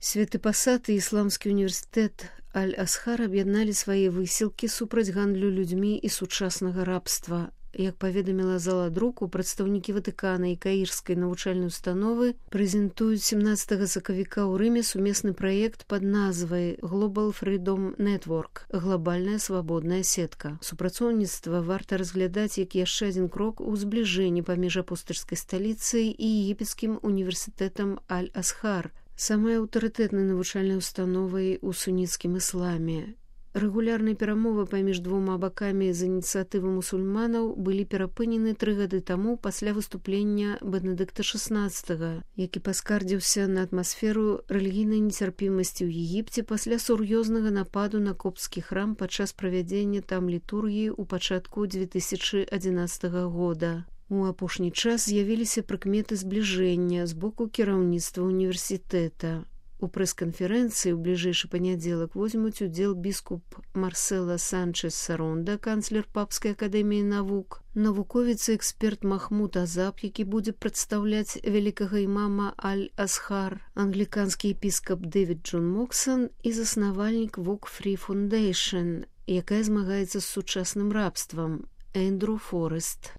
Святы Пасад і ісламскі універсітэт Аль-Асхар аб'ядналі свае высілкі супраць гандлю людзьмі і сучаснага рабства. Як паведаміла зала друку, прадстаўнікі Ватыкана і Каірскай навучальнай установы прэзентуюць 17 сакавіка ў Рыме сумесны праект пад назвай Global Freedom Network – глобальная свабодная сетка. Супрацоўніцтва варта разглядаць як яшчэ адзін крок у збліжэнні паміж апостальскай сталіцай і егіпецкім універсітэтам Аль-Асхар, самай аўтарытэтнай навучальнай установай у суніцкім ісламе. Рэгулярныя перамовы паміж двума бакамі з ініцыятывы мусульманаў былі перапынены 3 гады таму пасля выступлення Бенедыкта XVI, які паскардзіўся на атмасферу рэлігійнай нецярпімасці ў Егіпце пасля сур'ёзнага нападу на копцкі храм падчас правядзення там літургіі ў пачатку 2011 года. У апошні час з'явіліся прыкметы збліжэння з боку кіраўніцтва універсітэта. У прэс-канферэнцыі ў бліжэйшы панядзелак возьмуць удзел біскуп Марсела Санчес-Саронда, канцлер Папскай акадэміі навук, навуковец і эксперт Махмуд Азаб, які будзе прадстаўляць вялікага імама Аль-Асхар, англіканскі епіскап Дэвід Джон Моксан і заснавальнік Walk Free Foundation, якая змагаецца з сучасным рабствам, Эндрю Форест.